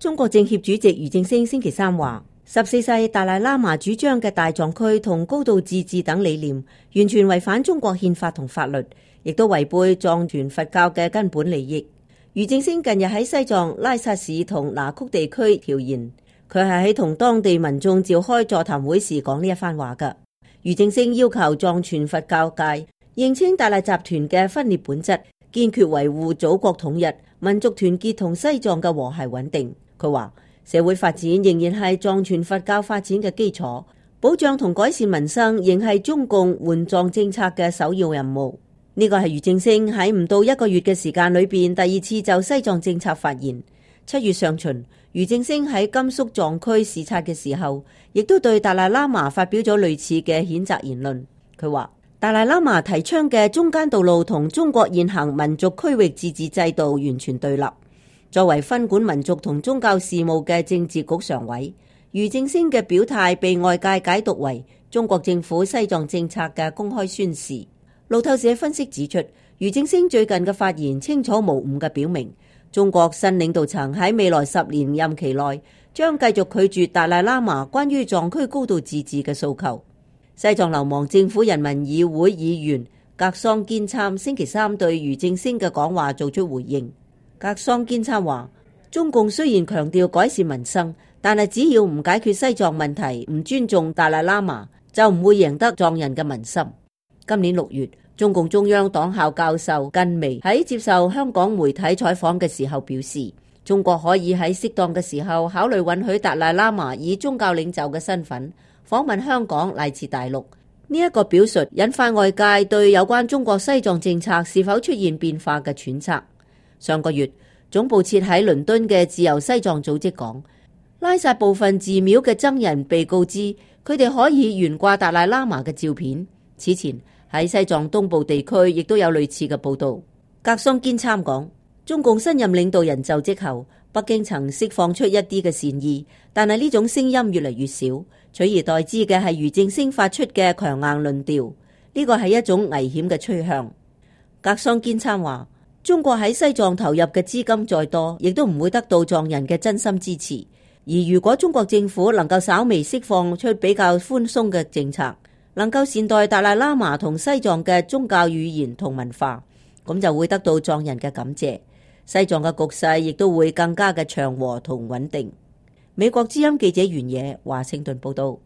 中國政協主席俞正聲星期三話，14世達賴喇嘛主張嘅大藏區同高度自治等理念，完全違反中國憲法同法律，亦都違背藏傳佛教嘅根本利益。俞正聲近日喺西藏拉薩市同那曲地區調研，佢係喺同當地民眾召開座談會時講呢一番話㗎。俞正聲要求藏傳佛教界認清達賴集團嘅分裂本質，堅決維護祖國統一、民族團結同西藏嘅和諧穩定。佢話社會發展仍然係藏傳佛教發展嘅基礎，保障同改善民生仍係中共援藏政策嘅首要任務。呢個係俞正聲喺唔到1個月嘅時間裏邊第2次就西藏政策發言。7月上旬，俞正聲喺甘肅藏區視察嘅時候，亦都對達賴喇嘛發表咗類似嘅譴責言論。佢話達賴喇嘛提倡嘅中間道路同中國現行民族區域自治制度完全對立。作為分管民族同宗教事務嘅政治局常委，俞正聲嘅表態被外界解讀為中國政府西藏政策嘅公開宣示。路透社分析指出，俞正聲最近嘅發言清楚無誤嘅表明，中國新領導層喺未來10年任期內將繼續拒絕達賴喇嘛關於藏區高度自治嘅訴求。西藏流亡政府人民議會議員格桑堅參星期三對俞正聲嘅講話做出回應。格桑堅參話，中共雖然強調改善民生，但係只要唔解決西藏問題，唔尊重達賴喇嘛，就唔會贏得藏人嘅民心。今年6月，中共中央黨校教授近微喺接受香港媒體採訪嘅時候表示，中國可以喺適當嘅時候考慮允許達賴喇嘛以宗教領袖嘅身份訪問香港乃至大陸。呢一個表述引發外界對有關中國西藏政策是否出現變化嘅揣測。上個月，總部設喺倫敦嘅自由西藏組織講，拉薩部分寺廟嘅僧人被告知佢哋可以懸掛達賴喇嘛嘅照片。此前喺西藏東部地區亦都有類似嘅報導。格桑堅參講，中共新任領導人就職後，北京曾釋放出一啲嘅善意，但係呢種聲音越嚟越少，取而代之嘅係俞正聲發出嘅強硬論調，呢個係一種危險嘅趨向。格桑堅參話，中國喺西藏投入嘅資金再多，亦都唔會得到藏人嘅真心支持。而如果中國政府能夠稍微釋放出比較寬鬆嘅政策，能夠善待達賴喇嘛同西藏嘅宗教語言同文化，咁就會得到藏人嘅感謝，西藏嘅局勢亦都會更加嘅祥和同穩定。美國之音記者袁野華盛頓報道。